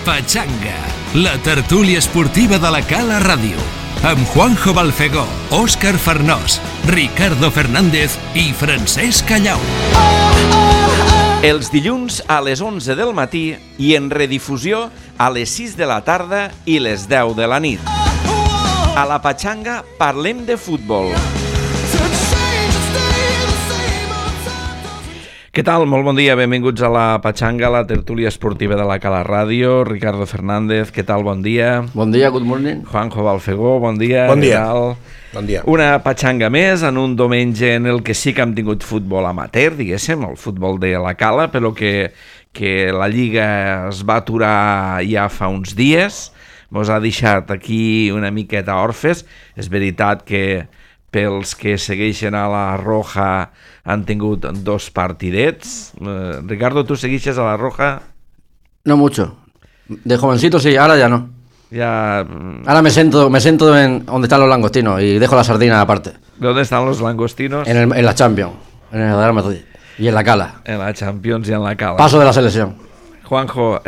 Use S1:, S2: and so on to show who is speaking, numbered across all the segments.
S1: Pachanga, la tertúlia esportiva de la Cala Ràdio, amb Juanjo Balfegó, Òscar Farnós, Ricardo Fernández i Francesc Callau.
S2: Els dilluns a les 11 del matí i en redifusió a les 6 de la tarda i les 10 de la nit. A la Pachanga parlem de futbol. Què tal? Molt bon dia, benvinguts a la Pachanga, la tertúlia esportiva de la Cala Ràdio. Ricardo Fernández, què tal? Bon dia.
S3: Bon dia, good morning.
S2: Juanjo Balfegó, bon dia.
S4: Bon dia. Bon dia.
S2: Una Pachanga més en un diumenge en el que sí que hem tingut futbol amateur, diguéssim, el futbol de la Cala, però que la Lliga es va aturar ja fa uns dies, mos ha deixat aquí una miqueta orfes. És veritat que pels que segueixen a la Roja han tingut dos partidets. Ricardo, ¿tú seguixes a la Roja?
S3: No mucho. De jovencito sí, ahora ya no.
S2: Ya.
S3: Ahora me siento en donde están los langostinos y dejo la sardina aparte.
S2: ¿Dónde están los langostinos?
S3: En la Champions, en el Real Madrid y en la Cala.
S2: En la Champions y en la Cala.
S3: Paso de la selección.
S2: Juanjo,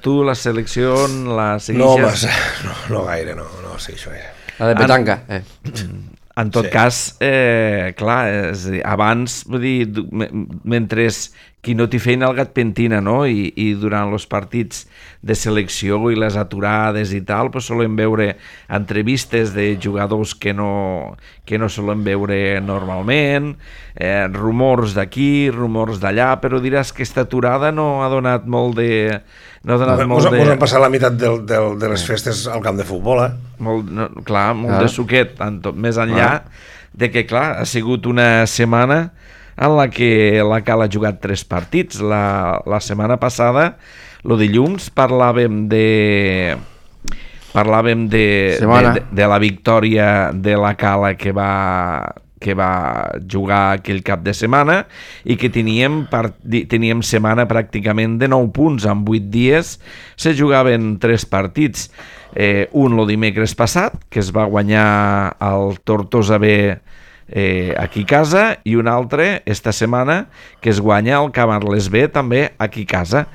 S2: tu la selecció la seguixes?
S4: No massa, no gaire, no segueixo gaire.
S3: La de petanca.
S2: En tot cas, clar, abans, vull dir, mentre qui no té feina el gat pentina, no? I durant els partits de selecció i les aturades i tal, pues solem veure entrevistes de jugadors que no solem veure normalment, rumors d'aquí, rumors d'allà, però diràs que aquesta aturada no ha donat molt de... Mos
S4: han passat la meitat de les festes al camp de futbol,
S2: molt de suquet, més enllà de que, clar, ha sigut una setmana en la que la Cala ha jugat 3 partits. La setmana passada, el dilluns, parlàvem de la victòria de la Cala que va jugar aquell cap de setmana i que teníem setmana pràcticament de 9 punts. En 8 dies se jugaven 3 partits. Un el dimecres passat, que es va guanyar el Tortosa B aquí a casa, i un altre esta setmana que es guanya el Camarles B també aquí a casa.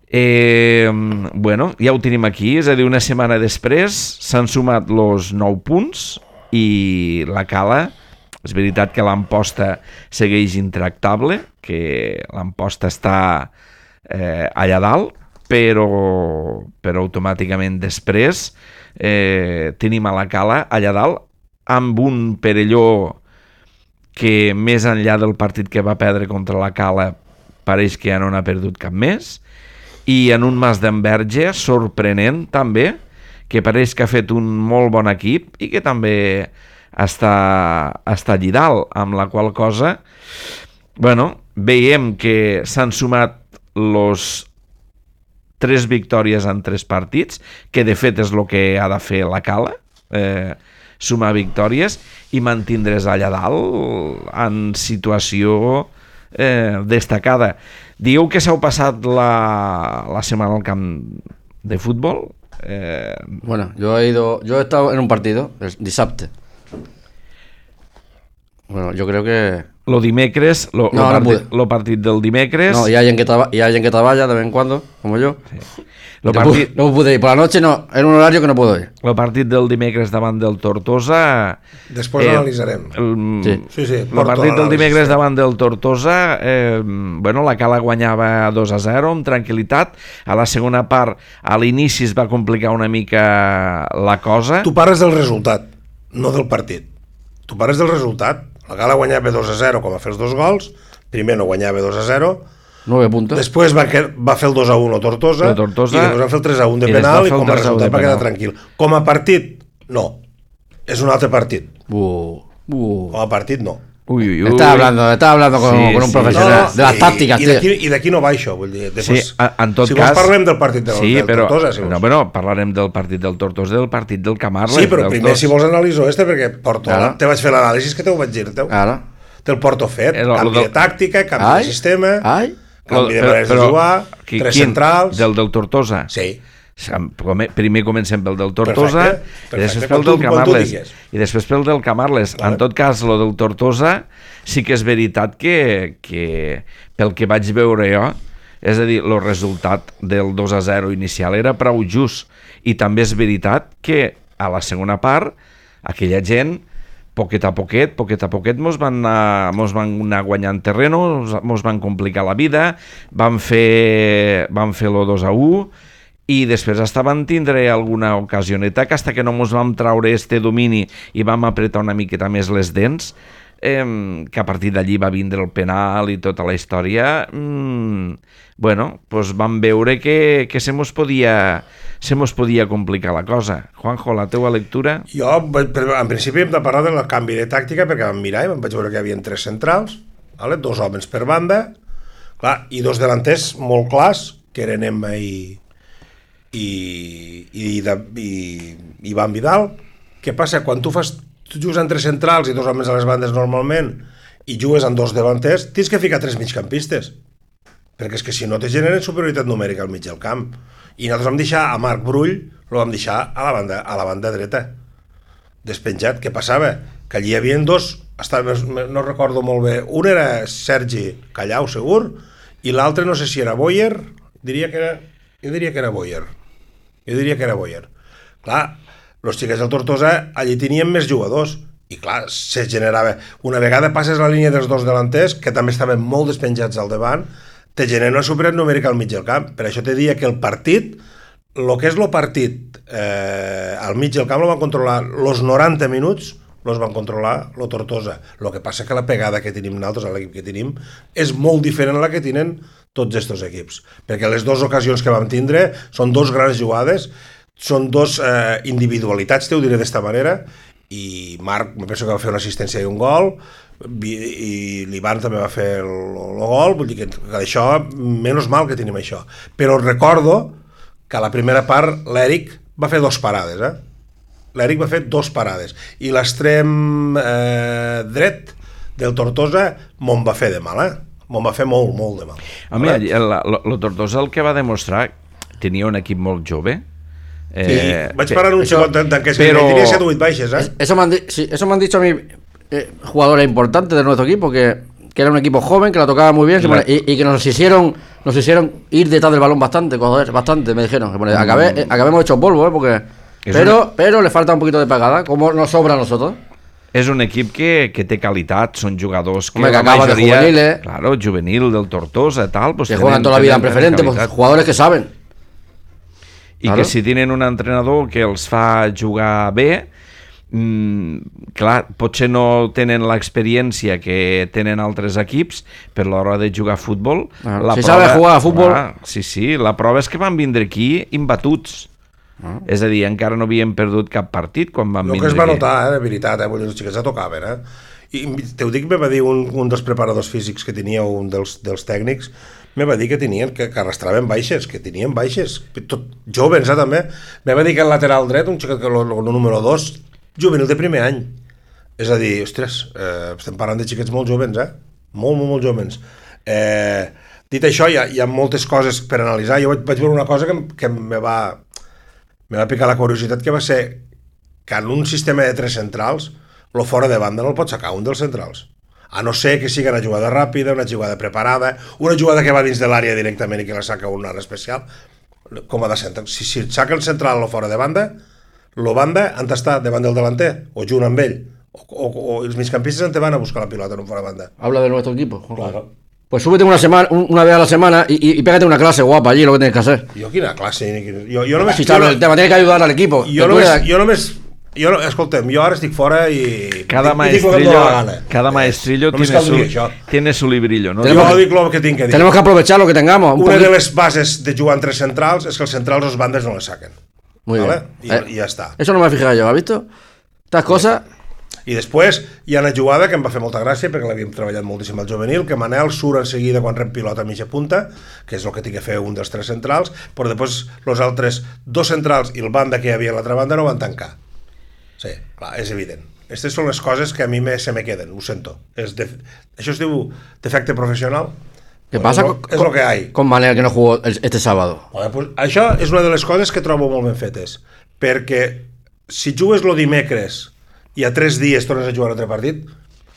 S2: Bueno, ja ho tenim aquí, és a dir, una setmana després s'han sumat els 9 punts i la Cala, és veritat que l'Amposta segueix intractable, que l'Amposta està allà dalt, però automàticament després tenim a la Cala allà dalt amb un Perelló que més enllà del partit que va perdre contra la Cala pareix que ja no n'ha perdut cap més, i en un Mas d'Enverge sorprenent també, que pareix que ha fet un molt bon equip i que també està allà dalt, amb la qual cosa veiem que s'han sumat los 3 victòries en 3 partits, que de fet és el que ha de fer la Cala, sumar victòries i mantindre's allà dalt en situació destacada. Digueu que s'heu passat la setmana al camp de futbol.
S3: Bueno, yo he estado en un partido el dissabte. Bueno, yo creo que
S2: Lo dimecres, lo partit del dimecres.
S3: no, y hay alguien que trabaja de vez en cuando, como yo.
S2: Sí.
S3: No pude ir por la noche, no, en un horario que no puedo ir.
S2: El partit del dimecres davant del Tortosa...
S4: Després l'analitzarem. Sí.
S2: El partit del dimecres davant del Tortosa, la Cala guanyava 2-0 amb tranquil·litat. A la segona part, a l'inici es va complicar una mica la cosa.
S4: Tu parles del resultat, no del partit. Tu parles del resultat. La Cala guanyava 2-0 com va fer els 2 gols. Primer no guanyava 2-0.
S3: 9 puntos.
S4: Després va fer el 2-1 a Tortosa, i després va fer el 3-1 de penal i com a resultat va quedar tranquil. Com a partit, no. És un altre partit. Com a partit, no.
S3: Estaba hablando con un profesional de las tácticas,
S4: i d'aquí no va això, vull dir.
S2: Després, en tot
S4: si
S2: cas,
S4: vols parlem del partit del Tortosa.
S2: Parlarem del partit del Tortosa i del partit del Camarles.
S4: Sí, però primer si vols analitzar perquè te vaig fer l'anàlisi que te ho vaig dir. Te'l porto fet, canvi de tàctica, canvi de sistema, canvi de maneres de jugar, 3 centrals...
S2: Del Tortosa?
S4: Sí.
S2: Primer comencem pel del Tortosa, i després pel del Camarles, i després pel del Camarles. En tot cas, el del Tortosa sí que és veritat que pel que vaig veure jo, És a dir, el resultat del 2-0 inicial era prou just. I també és veritat que a la segona part aquella gent, poquet a poquet, mos van anar guanyant terreno, mos van complicar la vida, van fer el 2-1 i després hasta van tindre alguna ocasioneta que hasta que no mos vam traure este domini i vam apretar una miqueta més les dents, que a partir d'allí va vindre el penal i tota la història, bueno, pues vam veure que se mos podia complicar la cosa. Juanjo, la teua lectura?
S4: Jo, en principi, hem de parlar del canvi de tàctica, perquè vam mirar i vaig veure que hi havia 3 centrals, vale? 2 homes per banda, clar, i 2 delanters molt clars, que eren Emma i Ivan Vidal. Què passa? Quan tu jugues amb 3 centrals i 2 homes a les bandes normalment i jugues amb 2 davanters, tens que ficar 3 migcampistes, perquè és que si no te generen superioritat numèrica al mig del camp. I nosaltres vam deixar a Marc Brull, el vam deixar a la banda dreta, despenjat. Què passava? Que allí hi havia 2, no recordo molt bé, un era Sergi Callau, segur, i l'altre no sé si era Boyer, jo diria que era Boyer. Clar, els xiquets del Tortosa allí tenien més jugadors i clar, se generava, una vegada passes la línia dels 2 delanters, que també estaven molt despenjats al davant, te genera una superioritat numèrica al mig del camp. Per això te diria que el partit, el que és el partit al mig del camp, el van controlar els 90 minuts, els van controlar el Tortosa. El que passa que la pegada que tenim nosaltres, a l'equip que tenim, és molt diferent a la que tenen tots aquests equips, perquè les 2 ocasions que vam tindre són 2 grans jugades, són 2 individualitats, ho diré d'esta manera, i Marc, me penso que va fer una assistència i un gol, i l'Ivan també va fer el gol, vull dir que això, menys mal que tenim això. Però recordo que a la primera part l'Eric va fer 2 parades, L'Eric va fer 2 parades, i l'extrem dret del Tortosa me'n va fer de mal, me'n va fer molt, molt de mal.
S2: A mi, el Tortosa el que va demostrar, tenia un equip molt jove.
S4: Sí, vaig parar un xicot que tenia 7 o 8 baixes,
S3: Eso me han dicho a mí jugadores importantes de nuestro equipo, que era un equipo joven, que la tocaba muy bien, y que nos hicieron ir detrás del balón bastante, me dijeron. Acabemos hechos polvo, porque pero le falta un poquito de pegada, como nos sobra a nosotros.
S2: És un equip que té qualitat, són jugadors que
S3: la acaba majoria, de juvenil,
S2: claro, juvenil del Tortosa, tal, pues
S3: que juegan toda la vida en preferente, pues, jugadores que saben.
S2: I que si tenen un entrenador que els fa jugar bé, clar, potser no tenen l'experiència que tenen altres equips per l'hora de jugar a futbol.
S3: Si sabe jugar a futbol...
S2: Sí, la prova és que van vindre aquí imbatuts. És a dir, encara no havien perdut cap partit quan van vindre aquí.
S4: El que es va notar, de veritat, els xiquets ja tocaven, I te ho dic, me va dir un dels preparadors físics que tenia, un dels tècnics, me va dir que arrastraven baixes, jóvens, també. Me va dir que el lateral dret, un xiquet, el número 2, juvenil de primer any. És a dir, ostres, estem parlant de xiquets molt jóvens, molt jóvens. Dit això, hi ha moltes coses per analitzar. Jo vaig veure una cosa que me va picar la curiositat, que va ser que en un sistema de 3 centrals, lo fora de banda no el pot sacar un dels centrals. A no ser que sigui una jugada ràpida, una jugada preparada, una jugada que va dins de l'àrea directament i que la saca un ara especial, com ha de ser. Si et saca el central o fora de banda, el banda han d'estar davant del delanter, o junt amb ell, o els migcampistes han de van a buscar la pilota en un fora de banda.
S3: Habla de nuestro equipo.
S4: Claro.
S3: Pues súbete una vez a la semana y pégate una clase guapa allí, lo que tienes que hacer.
S4: Jo quina classe? Jo només...
S3: Si sabes el tema, tienes que ayudar al equipo.
S4: Escolta'm, jo ara estic fora i...
S2: Cada maestrillo tiene su librillo, ¿no?
S4: Jo dic el que tinc que dir.
S3: Tenemos que aprovechar lo que tengamos.
S4: Una de les bases de jugar entre centrals és que els centrals los bandes no les saquen.
S3: Muy
S4: ¿vale?
S3: bien.
S4: I ja està.
S3: Eso no me he fijado yo, ¿has visto? Estas cosas...
S4: I després hi ha una jugada que em va fer molta gràcia, perquè l'havíem treballat moltíssim al juvenil, que Manel surt en seguida quan rep pilota a mitja punta, que és el que té que fer un dels 3 centrals, però després els altres 2 centrals i el banda que hi havia a l'altra banda no van tancar. Sí, clar, és evident. Aquestes són les coses que a mi se me queden, ho sento. Això es diu defecte professional.
S3: ¿Qué pasa con Manel, que no jugó este sábado?
S4: Bueno, pues això és una de les coses que trobo molt ben fetes, perquè si jugues el dimecres y a 3 días tornes a jugar otro partido,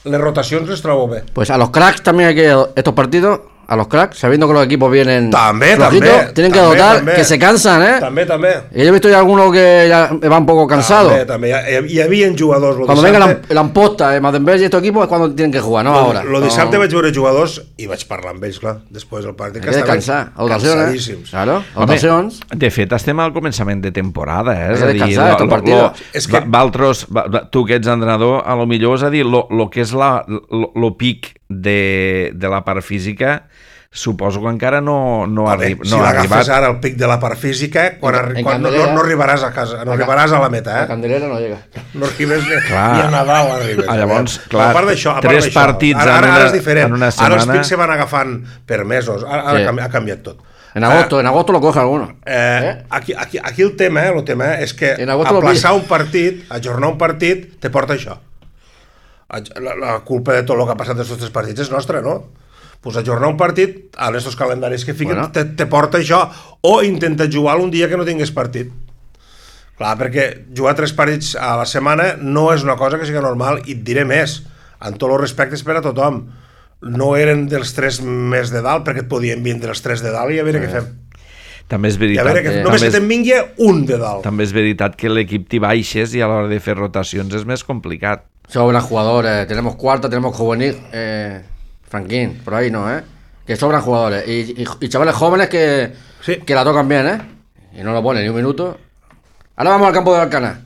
S4: las rotaciones les trobo bé.
S3: Pues a los cracks también hay que estos partidos a los cracks, sabiendo que los equipos vienen
S4: También,
S3: tienen que dotar, que se cansan, ¿eh?
S4: També.
S3: Y yo he visto ya algunos que ya van un poco cansados.
S4: També. Hi havia jugadors...
S3: Cuando venga la amposta, Madenberg y estos equipos es cuando tienen que jugar, no ahora.
S4: Lo dissabte vaig veure jugadors i vaig parlar amb ells, clar, després del partit, que estaven
S3: cansadíssims. Claro, dotacions.
S2: De fet, estem al començament de temporada, eh?
S3: És a dir,
S2: Valtros, tu que ets entrenador, a lo millor és a dir, lo que és lo pic de la part física, suposo que encara no ha arribat.
S4: Si l'agafes ara el pic de la part física, quan no arribaràs a casa, no arribaràs a la meta,
S3: La Candelera no llega.
S4: No arribes ni a Nadal arribes.
S2: Llavors, clar,
S4: a part d'això,
S2: tres partits
S4: ara és diferent.
S2: en una setmana.
S4: Ara els pics se van agafant per mesos, ara ha canviat tot.
S3: En agosto lo coge alguno.
S4: Aquí el tema és que aplaçar un partit, ajornar un partit, te porta això. La culpa de tot el que ha passat d'aquests 3 partits és nostra, no? Pues ajornar un partit, en aquests calendaris que fiquen, te porta això, o intenta jugar un dia que no tingués partit. Clar, perquè jugar 3 partits a la setmana no és una cosa que sigui normal, i et diré més, amb tots els respectes per a tothom. No eren dels 3 més de dalt, perquè et podien vindre els 3 de dalt i a veure què fem.
S2: També és veritat.
S4: Només que te'n vingui un de dalt.
S2: També és veritat que l'equip t'hi baixes i a l'hora de fer rotacions és més complicat.
S3: Sobran jugadores, tenemos cuarta, tenemos juvenil, Franquín, por ahí no, que sobran jugadores y chavales jóvenes que la tocan bien, y no lo ponen ni un minuto. Ahora vamos al campo de Alcaná.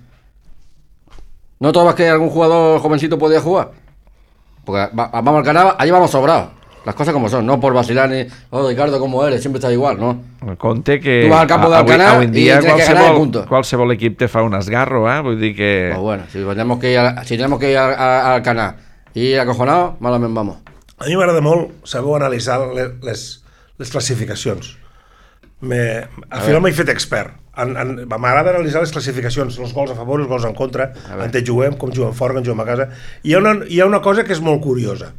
S3: ¿No todas que algún jugador jovencito podía jugar? Porque vamos al Alcaná, allí vamos sobrados. Las cosas como son, no por vacilar ni Ricardo, como eres, siempre estás igual, ¿no?
S2: Compte que
S3: tu vas al campo de Alcaná
S2: avui en dia
S3: i tienes que ganar el punto.
S2: Qualsevol equip te fa un esgarro, vull dir que...
S3: Pues bueno, si tenemos que ir a Alcaná i ir acojonado, malament vamos.
S4: A mi m'agrada molt saber analitzar les classificacions. Al final m'he fet expert. M'agrada analitzar les classificacions, els gols a favor, els gols en contra, on juguem, com juguem fora, com juguem a casa. Hi ha una cosa que és molt curiosa,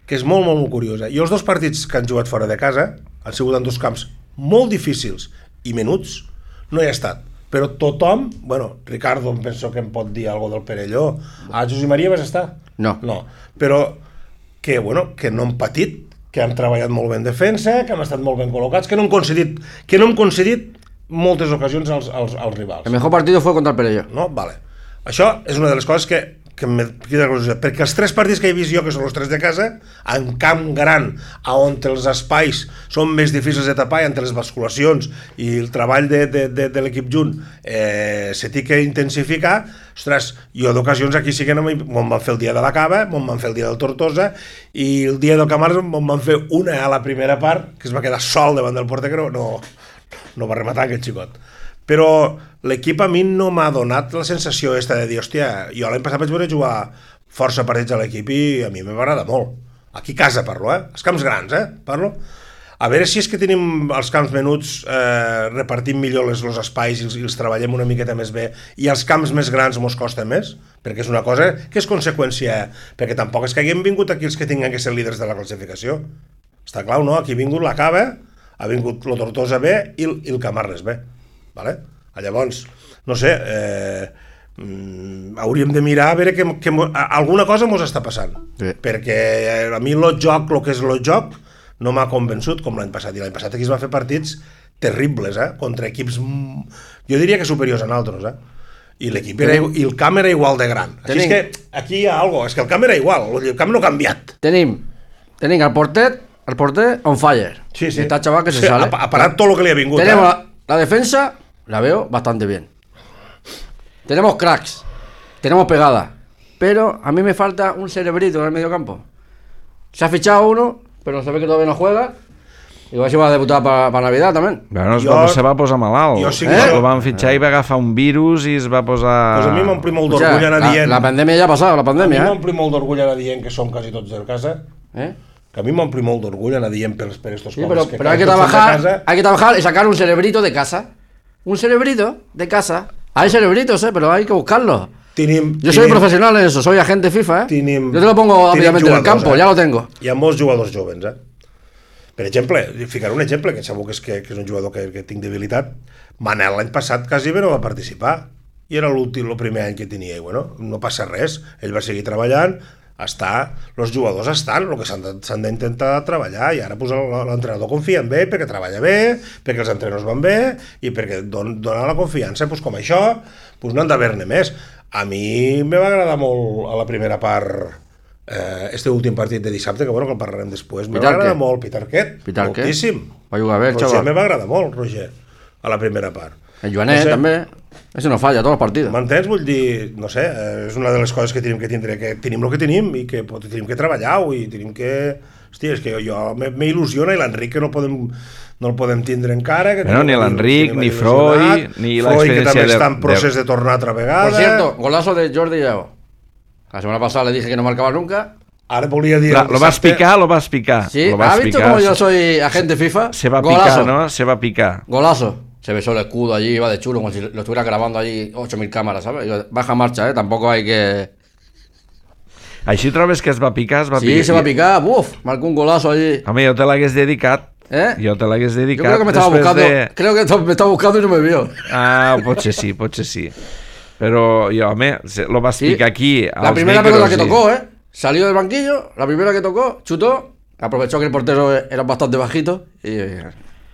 S4: que és molt, molt, molt curiosa. I els 2 partits que han jugat fora de casa han sigut en 2 camps molt difícils i menuts, no hi ha estat. Però tothom, Ricardo em penso que em pot dir alguna del Perelló. A Josep Maria vas estar?
S3: No.
S4: Però que no han patit, que han treballat molt bé en defensa, que han estat molt ben col·locats, que no han concedit moltes ocasions als rivals.
S3: El mejor partido fue contra el Perelló.
S4: No? Vale. Això és una de les coses que em queda curiositat, perquè els 3 partits que he vist jo, que són els 3 de casa, en camp gran, on els espais són més difícils de tapar, entre les basculacions i el treball de l'equip junt se té que intensificar, ostres, jo d'ocasions aquí sí que me'n van fer el dia de la Cava, me'n van fer el dia del Tortosa, i el dia del Camars me'n van fer una a la primera part, que es va quedar sol davant del porter, que no va rematar aquest xicot. Però l'equip a mi no m'ha donat la sensació de dir, hòstia, jo l'any passat vaig veure jugar força partits a l'equip i a mi m'agrada molt. Aquí a casa parlo, els camps grans, parlo. A veure si és que tenim els camps menuts, repartim millor els espais i els treballem una miqueta més bé, i els camps més grans mos costa més, perquè és una cosa que és conseqüència, perquè tampoc és que haguem vingut aquí els que tinguin que ser líders de la classificació. Està clar, no? Aquí ha vingut la Cava, ha vingut el Tortosa B i el Camarles B. Vale? Llavors, no sé, hauríem de mirar a veure que alguna cosa mos està passant, perquè a mi el que és el joc no m'ha convençut com l'any passat, i l'any passat aquí es van fer partits terribles, contra equips jo diria que superiors a nosaltres, i el camp era igual de gran. Així és que aquí hi ha alguna cosa, és que el camp era igual, el camp no ha canviat.
S3: Tenim el porter on fire.
S4: Sí.
S3: Está chaval que se sale.
S4: Ha parat tot el que li ha vingut.
S3: Tenemos la defensa, la veo bastante bien. Tenemos cracks, tenemos pegada, pero a mí me falta un cerebrito en el medio campo. Se ha fichado uno, pero se ve que todavía no juega. Igual se va a debutar para Navidad también.
S2: Bueno, se va posar malalt. Lo van fitxar i va agafar un virus i es va posar...
S4: Pues a mi m'ompli molt d'orgull anar dient...
S3: La pandèmia ja ha passat, la pandèmia.
S4: A mi m'ompli molt d'orgull anar dient que som quasi tots de casa. Que a mí me ompli molt d'orgull anar dient per estos
S3: cosas. Sí, pero hay que trabajar y sacar un cerebrito de casa. Un cerebrito de casa. Hay cerebritos, pero hay que buscarlos. Yo soy profesional en eso, soy agente FIFA, Yo te lo pongo rápidamente en el campo, ya lo tengo.
S4: Hi ha molts jugadors jovens, Per exemple, ficaré un exemple, que segur que és un jugador que tinc debilitat. Manel l'any passat quasi bé no va participar. I era el primer any que tenia, i no passa res. Ell va seguir treballant, els jugadors estan, el que s'han d'intentar treballar, i ara pues, l'entrenador confia en ell perquè treballa bé, perquè els entrenadors van bé i perquè dona la confiança, pues, com això pues, no han d'haver-ne més. A mi me va agradar molt a la primera part este últim partit de dissabte, que bueno, que el parlarem després, me va agradar molt Peter Quet, moltíssim.
S3: Va jugar bé,
S4: Roger me va agradar molt, Roger, a la primera part.
S3: El Joanet també, això no falla, tots els partits.
S4: M'entens? Vull dir, no sé, és una de les coses que tenim que tindre, que tenim el que tenim i que tenim que treballar-ho i tenim que... Hòstia, és que jo m'il·lusiona i l'Enric que no el podem tindre encara. Que
S2: ni l'Enric, ni Freud, ni
S4: l'experiència que també està en procés de tornar altra vegada.
S3: Por cierto, golazo de Jordi Lleó. La semana pasada le dije que no marcaba nunca.
S4: Ahora volia dir...
S2: Lo vas picar.
S3: Sí, ¿has visto cómo yo soy agente FIFA?
S2: Se va a picar, ¿no? Se va a picar.
S3: Golazo. Se besó el escudo allí, iba de chulo, como si lo estuviera grabando allí 8.000 cámaras, ¿sabes? Baja marcha, tampoco hay que...
S2: Així trobes que es va picar?
S3: Sí, se va a picar, marcó un golazo allí.
S2: Home, jo te l'hagués dedicat. Jo te l'hagués dedicat.
S3: Yo creo que me estaba buscando, me estaba buscando y no me vio.
S2: Ah, potser sí. Però jo, home, lo vas picar aquí.
S3: La primera pelota que tocó, salió del banquillo, la primera que tocó, chutó, aprovechó que el portero era bastante bajito y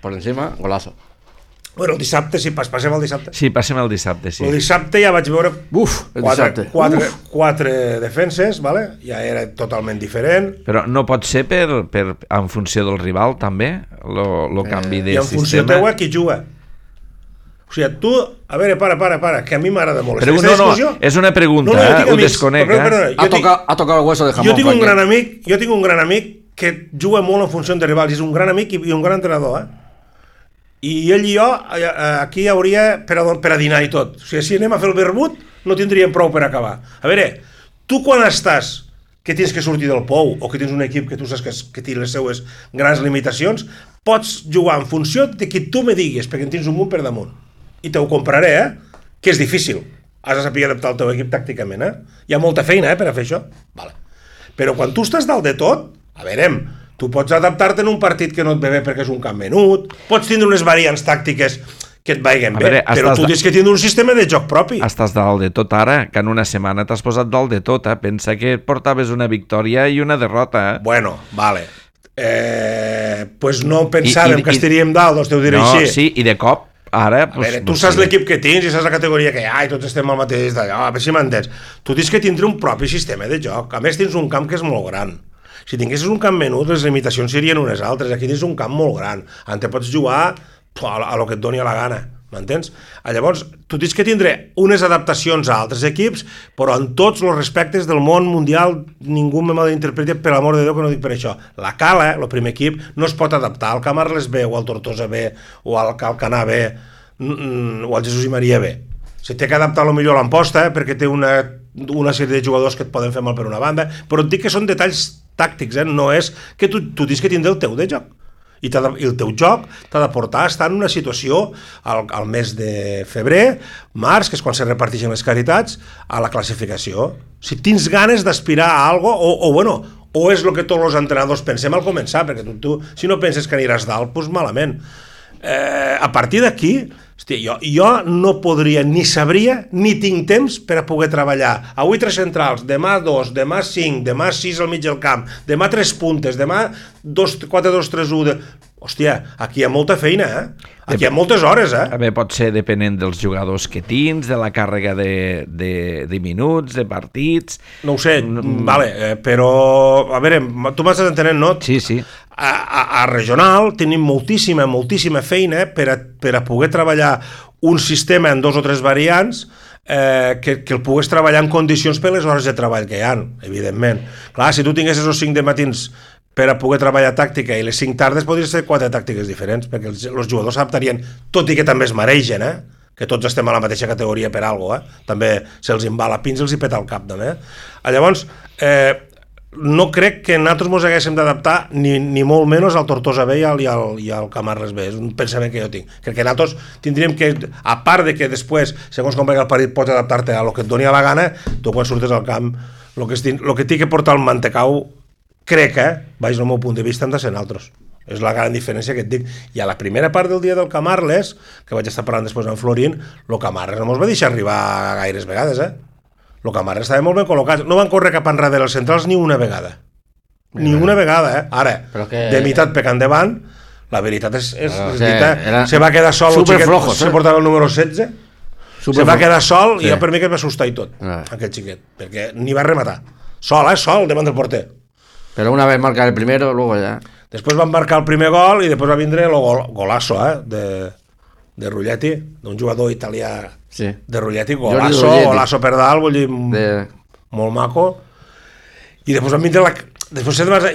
S3: por encima, golazo.
S4: Bueno, el dissabte, sí, passem al dissabte.
S2: Sí, passem al dissabte, sí.
S4: El dissabte ja vaig veure quatre defenses, vale? Ja era totalment diferent.
S2: Però no pot ser en funció del rival, també, el canvi de sistema?
S4: I en funció teu qui juga. O sigui, tu... A veure, para, que a mi m'agrada molt.
S2: Però no, és una pregunta, ho desconec.
S3: Ha tocat el hueso de jamón.
S4: Jo tinc un gran amic que juga molt en funció de rivals, és un gran amic i un gran entrenador, i ell i jo aquí hi hauria per a dinar i tot. O sigui, si anem a fer el vermut no tindríem prou per acabar. A veure, tu quan estàs que tens que sortir del pou o que tens un equip que tu saps que té les seues grans limitacions, pots jugar en funció de que tu me diguis, perquè en tens un munt per damunt. I te ho compraré, que és difícil. Has de saber adaptar el teu equip tàcticament, Hi ha molta feina, per a fer això. Vale. Però quan tu estàs dalt de tot, a veure, tu pots adaptar-te en un partit que no et ve bé perquè és un camp menut, pots tindre unes variants tàctiques que et vaiguen bé, però tu tens que tindre un sistema de joc propi.
S2: Estàs dalt de tot ara, que en una setmana t'has posat dalt de tot, Pensa que portaves una victòria i una derrota,
S4: Bueno, vale. Pues no pensàvem que estaríem dalt, doncs t'ho diré així.
S2: No, sí, i de cop, ara...
S4: A veure, tu saps l'equip que tens i saps la categoria que hi ha i tots estem al mateix d'allò, a veure si m'entens. Tu tens que tindre un propi sistema de joc. A més, tens un camp que és molt gran. Si tinguessis un camp menut, les limitacions serien unes altres. Aquí tens un camp molt gran, on te pots jugar a lo que et doni la gana, m'entens? Llavors, tu tens que tindre unes adaptacions a altres equips, però en tots els respectes del món mundial ningú me malinterpreti, per l'amor de Déu, que no dic per això. La Cala, el primer equip, no es pot adaptar al Camarles B, o al Tortosa B, o al Calcanar B, o al Jesús i Maria B. Se té que adaptar potser a l'Amposta, perquè té una sèrie de jugadors que et poden fer mal per una banda, però et dic que són detalls tàctics, no és que tu tens que tindre el teu de joc. I el teu joc t'ha de portar a estar en una situació al mes de febrer, març, que és quan se reparteixen les caritats, a la classificació. Si tens ganes d'aspirar a algo, o és el que tots els entrenadors pensem al començar, perquè tu si no penses que aniràs dalt, doncs malament. A partir d'aquí, jo no podria, ni sabria, ni tinc temps per a poder treballar. Avui 3 centrals, demà 2, demà 5, demà 6 al mig del camp, demà 3 puntes, demà 4-2-3-1... Hòstia, aquí hi ha molta feina, Aquí hi ha moltes hores,
S2: A veure, pot ser depenent dels jugadors que tens, de la càrrega de minuts, de partits...
S4: No ho sé, vale, però... A veure, tu m'estàs entenent, no?
S2: Sí.
S4: A regional tenim moltíssima feina per a poder treballar un sistema en 2 o 3 variants que el pugues treballar en condicions per les hores de treball que hi ha, evidentment. Clar, si tu tinguessis els 5 de matins per a poder treballar tàctica i les 5 tardes podrien ser 4 tàctiques diferents, perquè els jugadors s'adaptarien, tot i que també es mereixen, que tots estem a la mateixa categoria per alguna cosa, també se'ls embala pins, els hi peta el cap, també. Llavors, no crec que nosaltres ens haguéssim d'adaptar ni molt menys al Tortosa B i al Camarles B, és un pensament que jo tinc. Crec que nosaltres tindríem que, a part de que després, segons com vagi el partit, pots adaptar-te a lo que et doni la gana, tu quan surtes al camp, el que té que portar el mantecau, crec, vaig del meu punt de vista, han de ser altres. És la gran diferència que et dic. I a la primera part del dia del Camarles, que vaig estar parlant després amb Florín, el Camarles no mos va deixar arribar gaires vegades, el Camarles estava molt ben col·locat. No van córrer cap enrere els centrals ni una vegada. Ni una vegada, Ara, de meitat per endavant, la veritat és se va quedar sol, se portava el número 16, se va quedar sol i per mi que va assustar i tot, aquest xiquet, perquè ni va rematar. Sol, davant del porter.
S3: Però una vez marcar el primero, luego ya...
S4: Després van marcar el primer gol i després va vindre el golasso, de Rulletti, d'un jugador italià de Rulletti, golasso per dalt, vull dir, molt maco. I després van vindre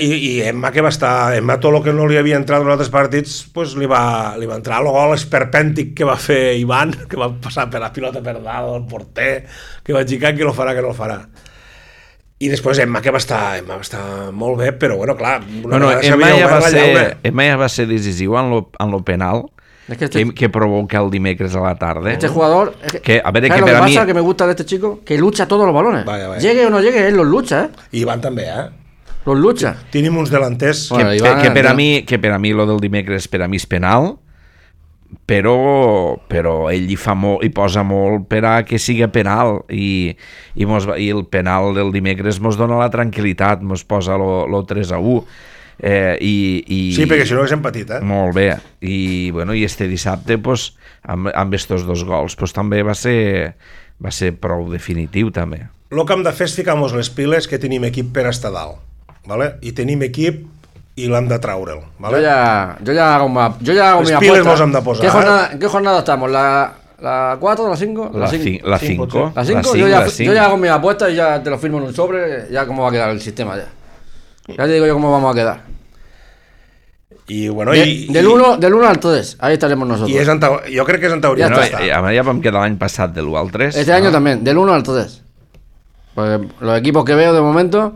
S4: i Emma, que va estar, Emma tot el que no li havia entrat en altres partits, pues li va entrar el gol esperpèntic que va fer Ivan, que va passar per la pilota per dalt, el porter, que va xicar, que no el farà. I després Emma, que va estar molt bé, però bueno, clar,
S2: Emma ja va ser decisiu en lo penal, que provoca el dimecres a la tarde.
S3: Este jugador,
S2: lo que
S3: pasa que me gusta de este chico, que lucha todos los balones. Vaya. Llegue o no llegue, él los lucha,
S4: I Ivan també,
S3: Los lucha.
S4: Tenim uns delanters
S2: que per a mi lo del dimecres per a mi és penal, però ell hi posa molt per a que sigui penal i el penal del dimecres mos dona la tranquil·litat, mos posa lo 3-1.
S4: Sí, perquè si no haguéssim patit,
S2: Molt bé. I este dissabte, pues, amb estos dos gols, pues, també va ser prou definitiu, també.
S4: El que hem de fer és ficar-nos les piles que tenim equip per estar dalt, ¿vale? I tenim equip i l'hem de traure'l, ¿vale?
S3: Yo ya hago mi apuesta.
S4: Les piles nos hem de posar.
S3: ¿Qué jornada estamos? ¿La 4, la 5?
S2: La 5.
S3: La 5, yo ya hago mi apuesta y ya te lo firmo en un sobre, ya cómo va a quedar el sistema ya. Ya te digo yo cómo vamos a quedar.
S4: I bueno,
S3: del 1 al 3, ahí estaremos nosotros.
S4: Jo crec que és en teoria.
S2: Ja vam quedar l'any passat del 1 al 3.
S3: Este año también, del 1 al 3. Pues los equipos que veo de momento,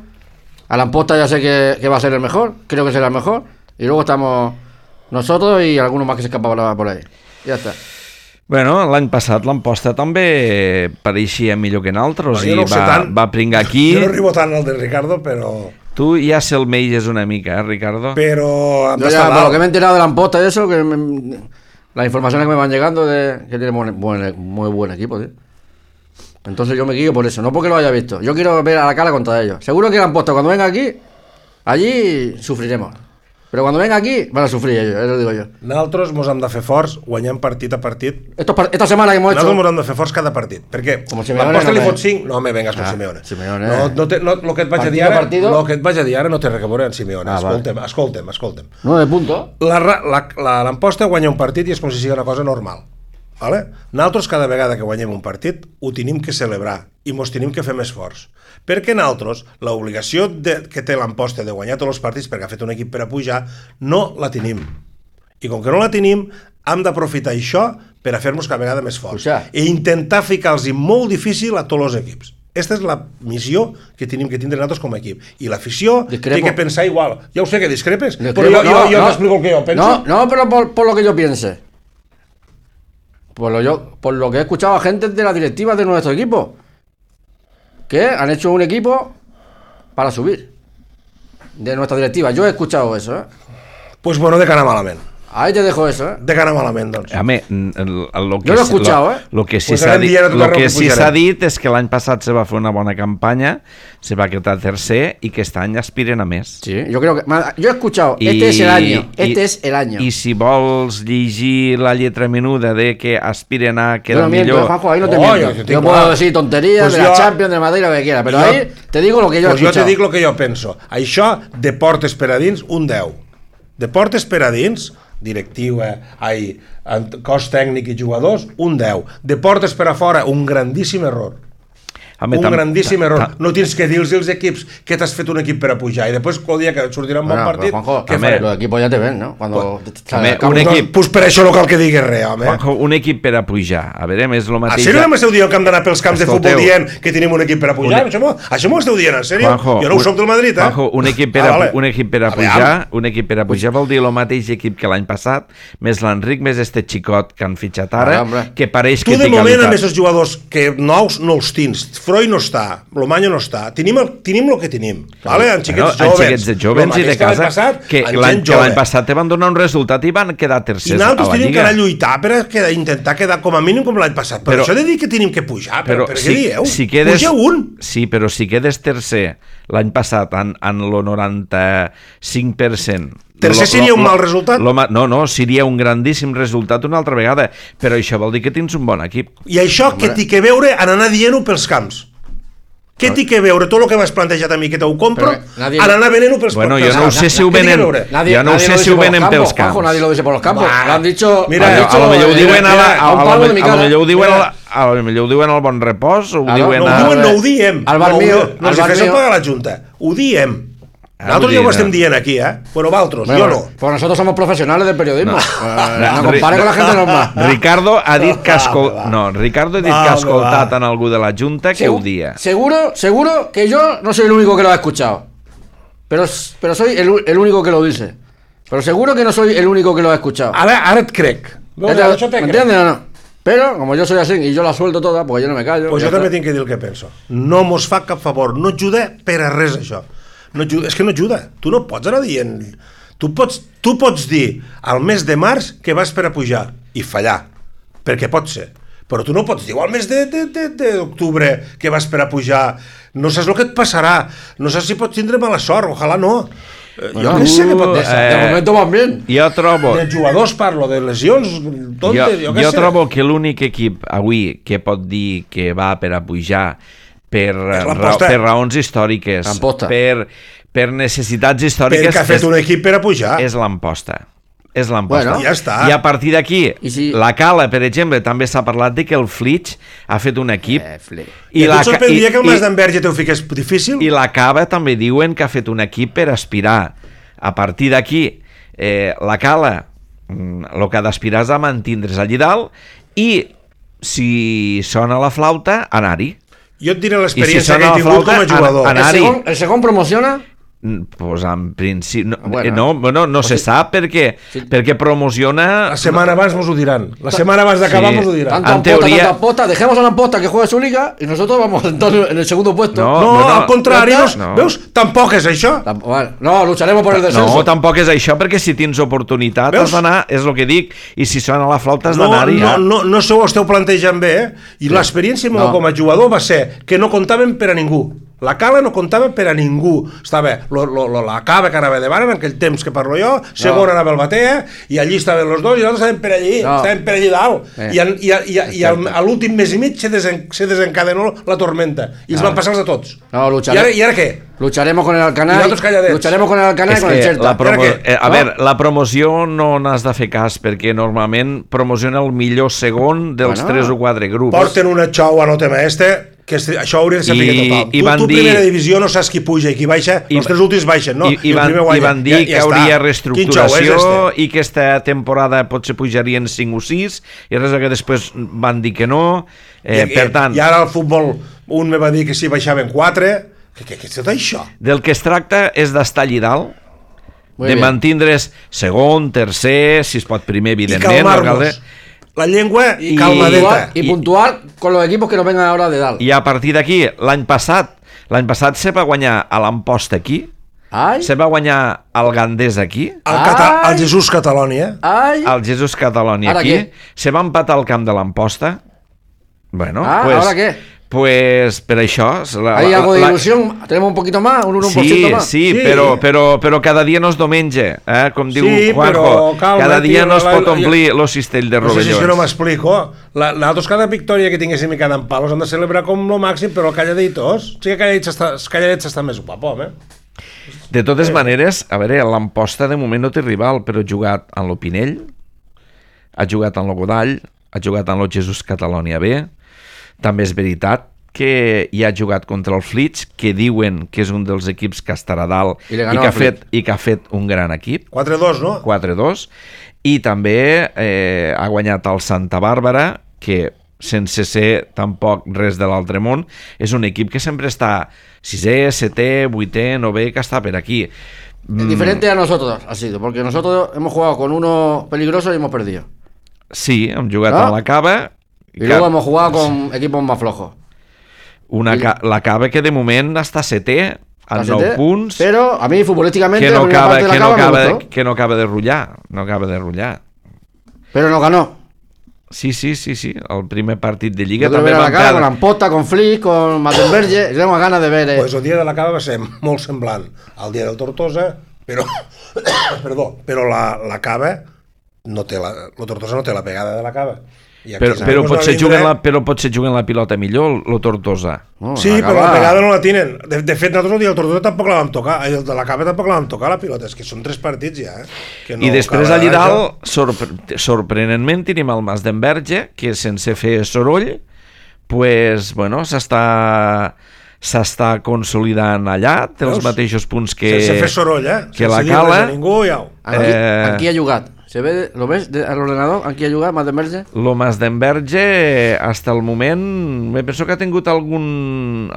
S3: Alan Posta ya sé que va a ser el mejor, creo que será el mejor, y luego estamos nosotros y algunos más que se escapaban por ahí. Ya está.
S2: Bueno, l'any passat l'Amposta també pareixia millor que nosaltres i va pringar aquí.
S4: Jo no arribo tant al de Ricardo, però...
S2: Tu ja se'l meiges una mica, Ricardo?
S4: Pero...
S3: Yo ya, por lo que me he enterado de la Amposta y eso, las informaciones que me van llegando de que tiene muy buen equipo, tío. Entonces yo me guío por eso, no porque lo haya visto. Yo quiero ver a la cara contra ellos. Seguro que la Amposta cuando venga aquí, allí sufriremos. Però quan venga aquí van a sufrir ellos, lo digo yo.
S4: Nosaltres ens hem de fer forts, guanyant partit a partit.
S3: Esta semana que hemos hecho...
S4: Nosaltres ens hem de fer forts cada partit, perquè l'Amposta li fot 5... No me vengas con Simeone. No, el que et vaig a dir ara no té res a veure amb Simeone. Escolta'm.
S3: 9 puntos.
S4: L'Amposta guanya un partit i és com si sigui una cosa normal. Vale? Nosaltres cada vegada que guanyem un partit ho tenim que celebrar i mos tenim que fer més forts, perquè nosaltres l'obligació que té l'Amposta de guanyar tots els partits perquè ha fet un equip per a pujar no la tenim, i com que no la tenim hem d'aprofitar això per a fer-nos cada vegada més forts i intentar ficar-los molt difícil a tots els equips. Aquesta és la missió que tenim que tindre nosaltres com a equip, i l'afició té que pensar igual. Ja ho sé que discrepes, però jo t'explico el que jo penso.
S3: No, però por lo que yo piense. Por lo que he escuchado a gente de la directiva de nuestro equipo, que han hecho un equipo para subir, de nuestra directiva. Yo he escuchado eso,
S4: Pues bueno, de cara malament.
S3: Ahí te dejo eso,
S4: De cara malament, doncs.
S2: Yo
S3: lo he escuchado,
S2: Lo que sí s'ha dit és que l'any passat se va fer una bona campanya, se va quedar tercer i que aquest any aspiren a més.
S3: Sí, yo creo que... Yo he escuchado, este es el año.
S2: I si vols llegir la lletra menuda de que aspiren a quedar millor...
S3: Juanjo, ahí no te miento. Yo puedo decir tonterías de la Champions, de Madrid, lo que quiera, pero ahí te digo lo que yo he escuchado.
S4: Jo te dic lo que jo penso. Això, de portes per a dins, un 10. De portes per a dins... directiu, cos tècnic i jugadors, un 10. De portes per a fora, un grandíssim error. Grandíssim error. No tens que dir als equips que t'has fet un equip per a pujar i després el dia que et sortirà un bon partit...
S3: Juanjo, los equipos ya te ven, ¿no?
S4: Pues per això no cal que diguis res, home.
S2: Juanjo, un equip per a pujar. A veure, és el mateix...
S4: A sèrio m'esteu dient que hem d'anar pels camps de futbol dient que tenim un equip per a pujar? Això m'ho esteu dient, en sèrio? Jo no ho soc del Madrid,
S2: Juanjo, un equip per a pujar vol dir el mateix equip que l'any passat, més l'Enric, més este xicot que han fitxat ara, que pareix que té qualitat.
S4: Tu de moment amb aquests jugadors que nous no els tens Freud no està, Lomaño no està, tenim el que tenim, vale? En xiquets
S2: Bueno, en
S4: jovens,
S2: xiquets de jovens i de casa, que l'any passat te van donar un resultat i van quedar tercers a la
S4: Lliga. I nosaltres tenim que anar a lluitar per intentar quedar com a mínim com l'any passat, però això de dir que tenim que pujar, però què dieu? Puja un!
S2: Sí, però si quedes tercer l'any passat en el 95%,
S4: tercer seria un mal resultat?
S2: No, seria un grandíssim resultat una altra vegada, però això vol dir que tens un bon equip.
S4: I això què té que veure en anar dient-ho pels camps? Què té que veure tot el que m'has plantejat a mi que t'ho compro en anar venent-ho pels camps?
S2: Bueno, jo no sé si ho venen pels camps.
S3: Nadie lo dice por los campos. Lo han dicho...
S4: Mira,
S2: a lo millor ho diuen al Bon Repòs, ho diuen a...
S4: No ho diem.
S3: Al bar mío.
S4: No els fes pagar la Junta. Ho diem. Nosotros ya lo estem dient aquí, Bueno, vosotros, yo no.
S3: Pues nosotros somos profesionales del periodismo. No compare con la gente normal.
S2: Ricardo ha dit que ha escoltat en algú de la Junta que ho dia.
S3: Seguro que yo no soy el único que lo ha escuchado. Pero soy el único que lo dice. Pero seguro que no soy el único que lo ha escuchado.
S4: Ara et crec.
S3: ¿Me entiendes o no? Pero, como yo soy así y yo la suelto toda, porque yo no me callo.
S4: Pues jo també tinc que dir el que penso. No mos fa cap favor, no ajuda per a res això. No ajuda, és que no ajuda. Tu no pots anar dient... Tu pots dir al mes de març que vas per a pujar i fallar, perquè pot ser. Però tu no pots dir al mes d'octubre que vas per a pujar. No saps el que et passarà. No saps si pots tindre mala sort. Ojalà no. Jo què sé que pot passar.
S3: De momento van bien.
S2: Jo trobo...
S4: De jugadors parlo, de lesions tontes, jo què sé.
S2: Jo trobo que l'únic equip avui que pot dir que va per a pujar per raons històriques, per necessitats històriques...
S4: Perquè ha fet un equip per a pujar.
S2: És l'Amposta. És l'Amposta.
S4: Bueno, ja està.
S2: I a partir d'aquí, la Cala, per exemple, també s'ha parlat de que el Flix ha fet un equip...
S4: I tu et sorprendria que el Mas d'Enverge te ho fiqués difícil?
S2: I la Cava també diuen que ha fet un equip per aspirar. A partir d'aquí, la Cala, el que ha d'aspirar és a mantindre's allí dalt i, si sona la flauta, anar-hi.
S4: Jo et diré l'experiència que he tingut com a jugador.
S3: ¿El segon promociona?
S2: Pues en principi no se sap perquè promociona.
S4: La setmana abans mos ho diran. La setmana abans d'acabar mos ho diran.
S3: Tanta Amposta, dejemos a la Amposta que juegue su liga y nosotros vamos entonces en el segundo puesto.
S4: No, al contrari, veus? Tampoc és això.
S3: No, lucharemos por el descenso.
S2: No, tampoc és això, perquè si tens oportunitat has d'anar, és el que dic, i si sona la flauta has d'anar-hi.
S4: No s'ho esteu plantejant bé, i l'experiència meva com a jugador va ser que no comptaven per a ningú. La Cala no comptava per a ningú. Estava la Cava que anava davant en aquell temps que parlo jo, segon anava el Batea, i allí estaven els dos i nosaltres estàvem per allí dalt. I a l'últim mes i mig se desencadenó la tormenta i els van passar els de tots. I ara què?
S3: Lucharemos con el Alcanar y con el Xerta.
S2: A veure, la promoció no n'has de fer cas, perquè normalment promociona el millor segon dels 3 o 4 grups.
S4: Porten una xou a Notema que això hauria de ser total. Tu primera divisió no saps qui puja i qui baixa, els 3 últims baixen, no?
S2: I van dir que hauria reestructuració i que aquesta temporada potser pujarien 5 o 6 i res que després van dir que no. Per tant...
S4: I ara al futbol un me va dir que si baixaven 4. Què és tot això?
S2: Del que es tracta és d'estar allí dalt, de mantindre's segon, tercer, si es pot primer, evidentment.
S4: I calmar-nos. La llengua i calmadeta.
S3: I puntuar con los equipos que no vengan ahora de dalt.
S2: I a partir d'aquí, l'any passat se va guanyar a l'Amposta aquí, se va guanyar al Gandés aquí,
S4: al Jesús Catalònia,
S2: al Jesús Catalònia aquí, se va empatar al camp de l'Amposta. Bueno,
S3: ¿ahora qué?
S2: Pues per això...
S3: ¿Hay algo de ilusión? ¿Tenemos un poquito más? ¿Un 1% más?
S2: Sí, però cada dia no és diumenge, com diu Juanjo. Cada dia no es pot omplir el cistell de rovellons.
S4: No sé si no m'explico. Nosaltres cada victòria que tinguéssim i cada empalos hem de celebrar com el màxim, però calladitos. Sí que calladets està més guapo,
S2: De totes maneres, a veure, l'Amposta de moment no té rival, però ha jugat en l'Opinell, ha jugat en el Godall, ha jugat en el Jesús Catalònia B. També és veritat que hi ha jugat contra el Flix, que diuen que és un dels equips que estarà dalt i que ha fet un gran equip.
S4: 4-2, no?
S2: 4-2. I també ha guanyat el Santa Bàrbara, que sense ser tampoc res de l'altre món, és un equip que sempre està 6è, 7è, 8è, 9è, que està per aquí.
S3: Diferente a nosotros ha sido, porque nosotros hemos jugado con uno peligroso y hemos perdido.
S2: Sí, hem jugat a la Cava.
S3: Y luego hemos jugado con equipos más flojos.
S2: La Cava que de moment està setè, amb 9 punts,
S3: però a mi futbolísticament
S2: que no acaba de rotllar.
S3: Però no ganó.
S2: Sí, el primer partit de Lliga
S3: també
S2: també
S3: va
S2: van perdre.
S3: Con Ampota, con Flick, con Mattenberge, és una gana de veure.
S4: Pues el dia de la Cava va ser molt semblant al dia del Tortosa, però però la Cava no té el Tortosa no té la pegada de la Cava.
S2: Però potser juguen la pilota millor el Tortosa.
S4: Sí, però la pegada no la tenen. De fet, nosaltres el dia del Tortosa tampoc la vam tocar, el de la Cava tampoc la vam tocar, la pilota. És que són 3 partits ja.
S2: I després allà dalt, sorprenentment, tenim el Mas d'Enverge, que sense fer soroll, pues, bueno, s'està consolidant allà, té els mateixos punts que
S4: sense fer soroll,
S2: que la Cala.
S3: En qui ha jugat? ¿Lo ves al ordenador? ¿En qui ha jugat Mas d'Enverge?
S2: Lo Mas d'Enverge, hasta el moment, me penso que ha tingut algun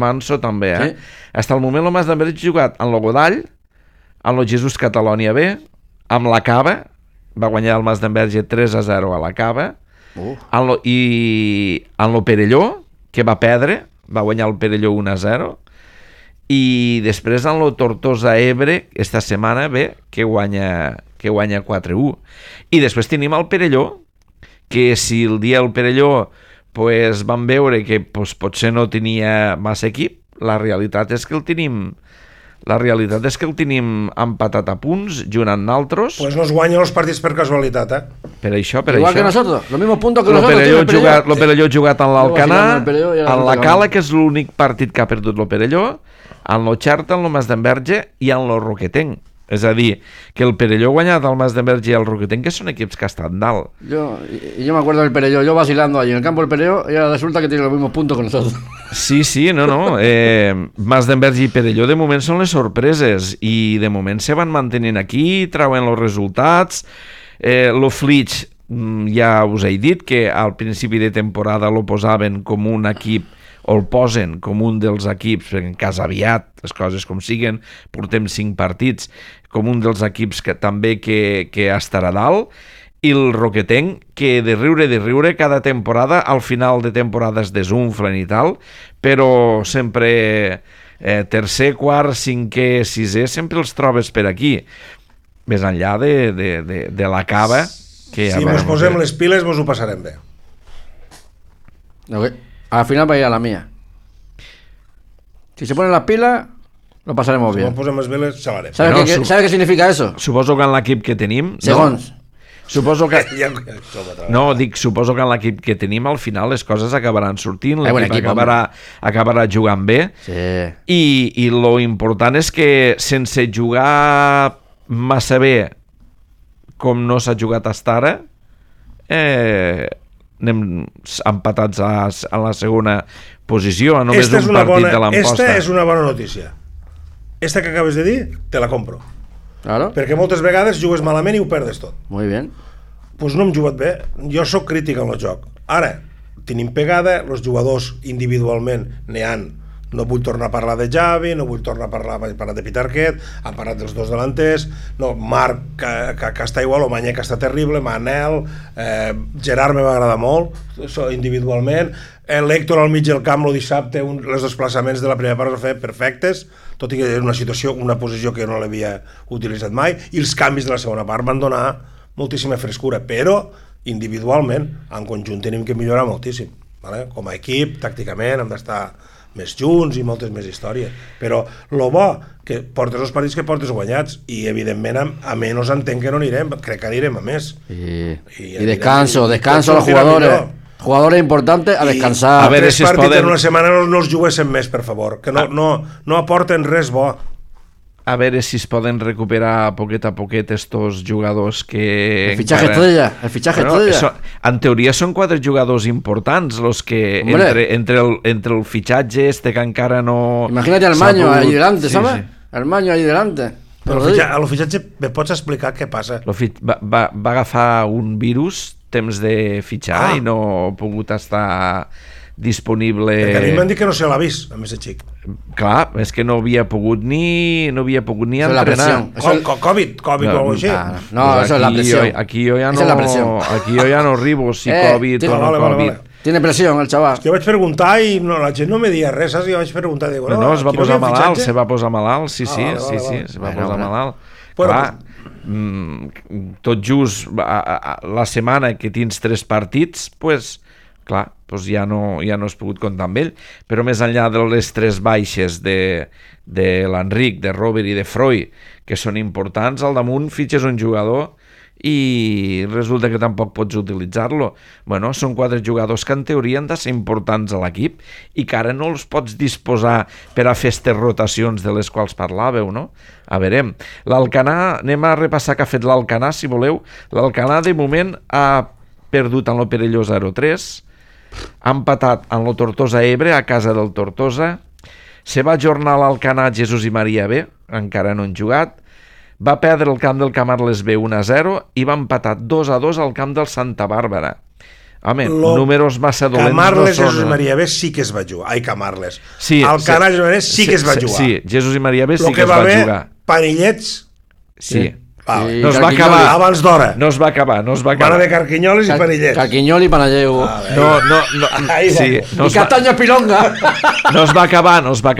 S2: manso també,
S3: Sí.
S2: Hasta el moment lo Mas d'Enverge ha jugat en lo Godall, en lo Jesús Catalònia B, amb la Cava, va guanyar el Mas d'Enverge 3-0 a la Cava, i en lo Perelló, que va perdre, va guanyar el Perelló 1-0, i després en lo Tortosa Ebre, esta setmana ve, que guanya 4-1. I després tenim el Perelló, que si el dia del Perelló pues, van veure que pues, potser no tenia massa equip, la realitat és que el tenim empatat a punts, junt amb naltros.
S4: Pues no es guanyen els partits per casualitat,
S2: Per això.
S3: Igual que nosotros, los mismos puntos que nosotros.
S2: Lo Perelló ha jugat en l'Alcanar, en la Cala, que és l'únic partit que ha perdut lo Perelló, en lo Xarta, en lo Mas d'Enverge i en lo Roquetenc. És a dir, que el Perelló ha guanyat el Mas d'Enverge i el Roquetenc, que són equips que estan dalt.
S3: Yo me acuerdo del Perelló, yo vacilando allí en el campo del Perelló, y ahora resulta que tiene los mismos puntos que nosotros.
S2: Sí, no. Mas d'Enverge i Perelló de moment són les sorpreses, i de moment se van mantenint aquí, trauen els resultats. Lo Flitx, ja us he dit que al principi de temporada lo posaven com un equip, o el posen com un dels equips, en cas aviat, les coses com siguen, portem 5 partits, com un dels equips que també que estarà dalt, i el Roquetenc, que de riure cada temporada, al final de temporada es desunflen i tal, però sempre tercer, quart, cinquè, sisè, sempre els trobes per aquí, més enllà de la Cava, que
S4: si ens posem les piles ens ho passarem bé.
S3: Al final va a ir a la mía. Si se ponen las pilas, lo pasaremos bien.
S4: Si nos posem les piles, xalarem.
S3: ¿Sabes qué significa eso?
S2: Suposo que en l'equip que tenim...
S3: Segons.
S2: Suposo que... suposo que en l'equip que tenim al final les coses acabaran sortint, l'equip acabarà jugant bé.
S3: Sí.
S2: I lo important és que sense jugar massa bé com no s'ha jugat fins ara, anem empatats a la segona posició, només un partit de l'Amposta.
S4: Esta és una bona notícia. Esta que acabes de dir, te la compro.
S3: Claro.
S4: Perquè moltes vegades jugues malament i ho perdes tot.
S3: Muy bien.
S4: Pues no hem jugat bé. Jo sóc crític en el joc. Ara, tenim pegada, els jugadors individualment n'hi han. No vull tornar a parlar de Javi, no vull tornar a parlar de Pitarquet, han parlat dels dos delanters, no, Marc que està igual, o Manyé que està terrible, Manel, Gerard me va agradar molt individualment, l'Héctor al mig del camp el dissabte, els desplaçaments de la primera part els va fer perfectes, tot i que era una situació, una posició que no l'havia utilitzat mai, i els canvis de la segona part van donar moltíssima frescura, però individualment, en conjunt tenim que millorar moltíssim, vale? Com a equip, tàcticament hem d'estar més junts i moltes més històries, però el bo que portes els partits que portes guanyats, i evidentment a menys entenc que no anirem, crec que anirem a més
S3: i descanso a los jugadores importantes a descansar.
S4: A veure si partits en una setmana no els juguessin més, per favor, que no aporten res bo.
S2: A veure si es poden recuperar poquet a poquet estos jugadors que...
S3: El fichaje estrella.
S2: En teoria són 4 jugadors importants los que entre el fitxatge que encara no...
S3: Imagínate al Maño ahí delante, ¿sabes? Al Maño ahí delante.
S4: A lo fitxatge me pots explicar què passa?
S2: Va agafar un virus temps de fitxar i no ha pogut estar disponible...
S4: Perquè a mi m'han dit que no se l'ha vist, a més de xic.
S2: Clar, és que no havia pogut ni entrenar.
S4: Covid o alguna cosa així.
S3: No, eso es la presión.
S2: Aquí jo ja no arribo si Covid o no Covid.
S3: Tiene presión el chaval.
S4: Jo vaig preguntar i la gent no me dia res, saps? Jo vaig preguntar, digo,
S2: No, es va
S4: aquí no
S2: posar
S4: havia
S2: malalt,
S4: fitxatge?
S2: se va posar malalt, sí,
S4: vale.
S2: se va posar malalt.
S4: Bueno,
S2: Clar, tot just la setmana que tens 3 partits, pues, clar, pues ja no has pogut comptar amb ell, però més enllà de les 3 baixes de l'Enric, de Robert i de Freud, que són importants, al damunt fitxes un jugador i resulta que tampoc pots utilitzar-lo. Bueno, són 4 jugadors que en teoria han de ser importants a l'equip i que ara no els pots disposar per a fer aquestes rotacions de les quals parlàveu, no? A veure, l'Alcanar, anem a repassar què ha fet l'Alcanar, si voleu. L'Alcanar, de moment, ha perdut en lo Perelló 0-3, ha empatat en lo Tortosa Ebre a casa del Tortosa, se va ajornar l'Alcanar Jesús i Maria B, encara no han jugat, va perdre el camp del Camarles B 1-0 i va empatar 2-2 al camp del Santa Bàrbara. Home, números massa dolents
S4: Camarles,
S2: no són.
S4: Jesús i Maria B sí que es va jugar. Ai, Camarles.
S2: Sí,
S4: Alcanar, Jesús i Maria B sí que es va jugar.
S2: Sí, Jesús i Maria B sí que es
S4: va
S2: va jugar.
S4: Panillets,
S2: Sí.
S4: vale.
S2: No es va acabar.
S4: Abans d'hora.
S2: No es va acabar.
S4: Van haver carquinyoles i panillets.
S3: Carquiñol i Panalleu.
S2: No,
S4: Ahí
S2: sí,
S4: vamos.
S2: no
S3: I
S2: es va,
S3: Castaño Pilonga.
S2: no es va acabar. No es va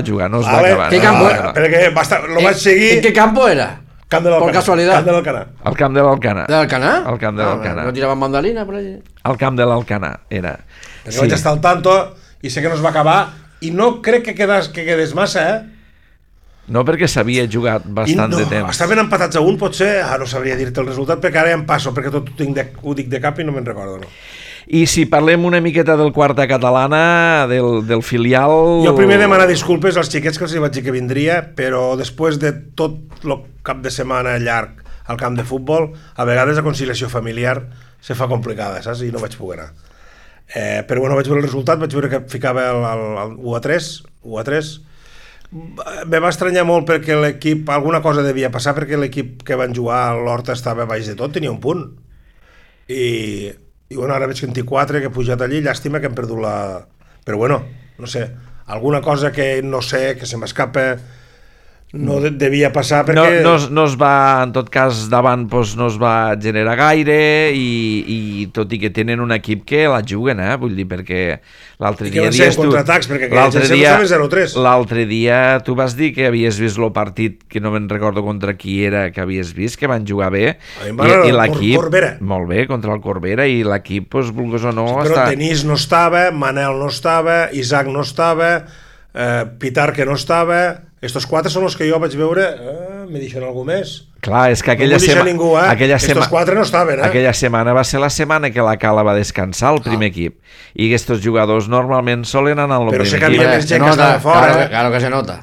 S2: jugar, no es va acabar.
S3: ¿Qué
S2: no,
S3: campo
S2: no,
S3: era?
S2: no.
S4: Perquè lo vaig seguir...
S3: ¿En qué campo era?
S4: Camp de l'Alcanar.
S3: Por casualidad.
S4: Camp de l'Alcanar.
S2: El camp de l'Alcanar.
S3: ¿De Alcanar?
S2: El camp de l'Alcanar.
S3: ¿No tiraban mandalina por allí?
S2: El camp de l'Alcanar era.
S4: Perquè vaig estar al tanto i sé que no es va acabar i no crec que quedés massa,
S2: No, perquè s'havia jugat bastant de temps.
S4: Estaven empatats a un, potser, no sabria dir-te el resultat, perquè ara ja em passo, perquè tot ho dic de cap i no me'n recordo, no.
S2: I si parlem una miqueta del quarta catalana, del filial...
S4: Jo primer demanar disculpes als xiquets que els vaig dir que vindria, però després de tot el cap de setmana llarg al camp de futbol, a vegades la conciliació familiar se fa complicada, saps? I no vaig poder anar. Però bueno, vaig veure el resultat, vaig veure que ficava el 1-3. Me va estranyar molt perquè l'equip, alguna cosa devia passar, perquè l'equip que van jugar a l'Horta estava baix de tot, tenia un punt. I bueno, ara veig que en té 4, que he pujat allí, llàstima que hem perdut la... Però bueno, no sé, alguna cosa que no sé, que se m'escapa, no devia passar perquè...
S2: No es va, en tot cas, davant no es va generar gaire i tot i que tenen un equip que la juguen, vull dir, perquè l'altre dia...
S4: I que van ser contraatacs, perquè
S2: l'altre dia tu vas dir que havies vist el partit, que no me'n recordo contra qui era, que havies vist, que van jugar bé, i l'equip...
S4: Corbera.
S2: Molt bé, contra el Corbera, i l'equip, vulguis o no...
S4: Però Denis no estava, Manel no estava, Isaac no estava, Pitar que no estava... Estos 4 són els que jo vaig veure, me deixen algú més.
S2: Clar, és que aquella
S4: Estos 4 no estaven,
S2: Aquella setmana va ser la setmana que la Cala va descansar, el primer equip. I aquests jugadors normalment solen anar al primer equip.
S4: Però sé que havia més gent que estava fora.
S3: Claro que se nota.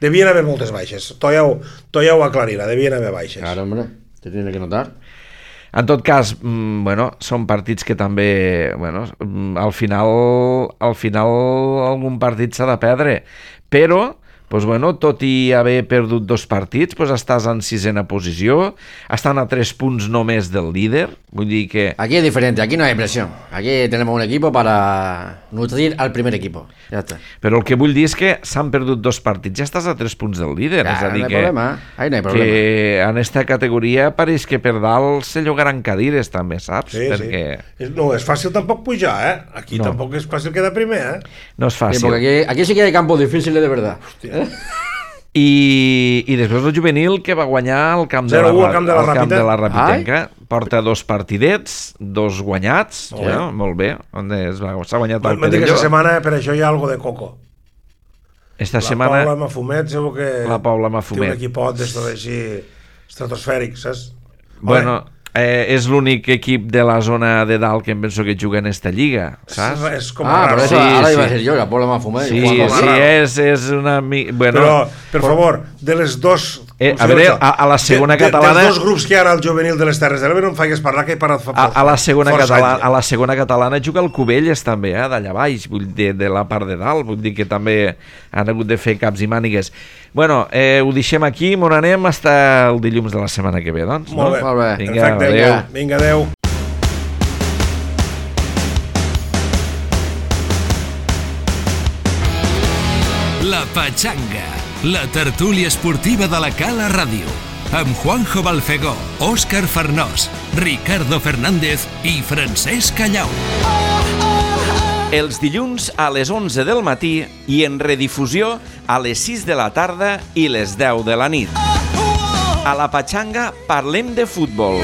S4: Devien haver moltes baixes. To ja ho aclarirà, devien haver baixes.
S3: Claro, hombre, te tiene que notar.
S2: En tot cas, bueno, són partits que també, bueno, al final algun partit s'ha de perdre, però pues bueno, tot i haver perdut 2 partits, pues estàs en 6ª posició, estan a 3 punts només del líder, vull dir que...
S3: Aquí es diferente, aquí no hay presión. Aquí tenemos un equipo para nutrir al primer equipo. Ya está.
S2: Però el que vull dir és que s'han perdut 2 partits, ja estàs a 3 punts del líder, és a dir
S3: no hay problema. Ahí no hay problema.
S2: Que en aquesta categoria pareix que per dalt se llogaran cadires també, saps?
S4: Sí,
S2: perquè...
S4: sí. No és fàcil tampoc pujar, Aquí
S2: no.
S4: Tampoc és fàcil quedar primer,
S2: No és fàcil.
S3: Sí, porque aquí sí que hay campos difíciles de verdad.
S4: Hòstia.
S2: I després el juvenil que va guanyar el camp de la Rapitenca, porta 2 partidets, 2 guanyats, molt bé, s'ha guanyat el Perelló.
S4: Aquesta setmana per això hi ha algo de coco.
S2: Esta setmana...
S4: La Paula Mafumet segur que té un equipot així estratosfèric, saps?
S2: Bueno, és l'únic equip de la zona de dalt que em penso que juga en esta lliga, saps?
S4: És com raro.
S3: Pero eso ahora iba a ser yo, la Paula Mafumet.
S2: Sí, és una... Bueno,
S4: però, per favor, de les 2...
S2: a veure, a la segona catalana...
S4: Dels 2 grups que hi ha al juvenil de les Terres de l'Ebre no em faigues parlar, que he parlat fa
S2: a la segona catalana juga el Cubelles també, d'allà baix, vull dir, de la part de dalt, vull dir que també han hagut de fer caps i mànigues. Bueno, ho deixem aquí, on anem fins el dilluns de la setmana que ve, doncs.
S4: Molt bé,
S3: Molt bé.
S4: Perfecte,
S2: adéu.
S4: Vinga, adéu.
S1: La Pachanga, la tertúlia esportiva de la Cala Ràdio, amb Juanjo Balfegó, Òscar Farnós, Ricardo Fernández i Francesc Callau.
S2: Els dilluns a les 11 del matí i en redifusió a les 6 de la tarda i les 10 de la nit. A la Patxanga parlem de futbol.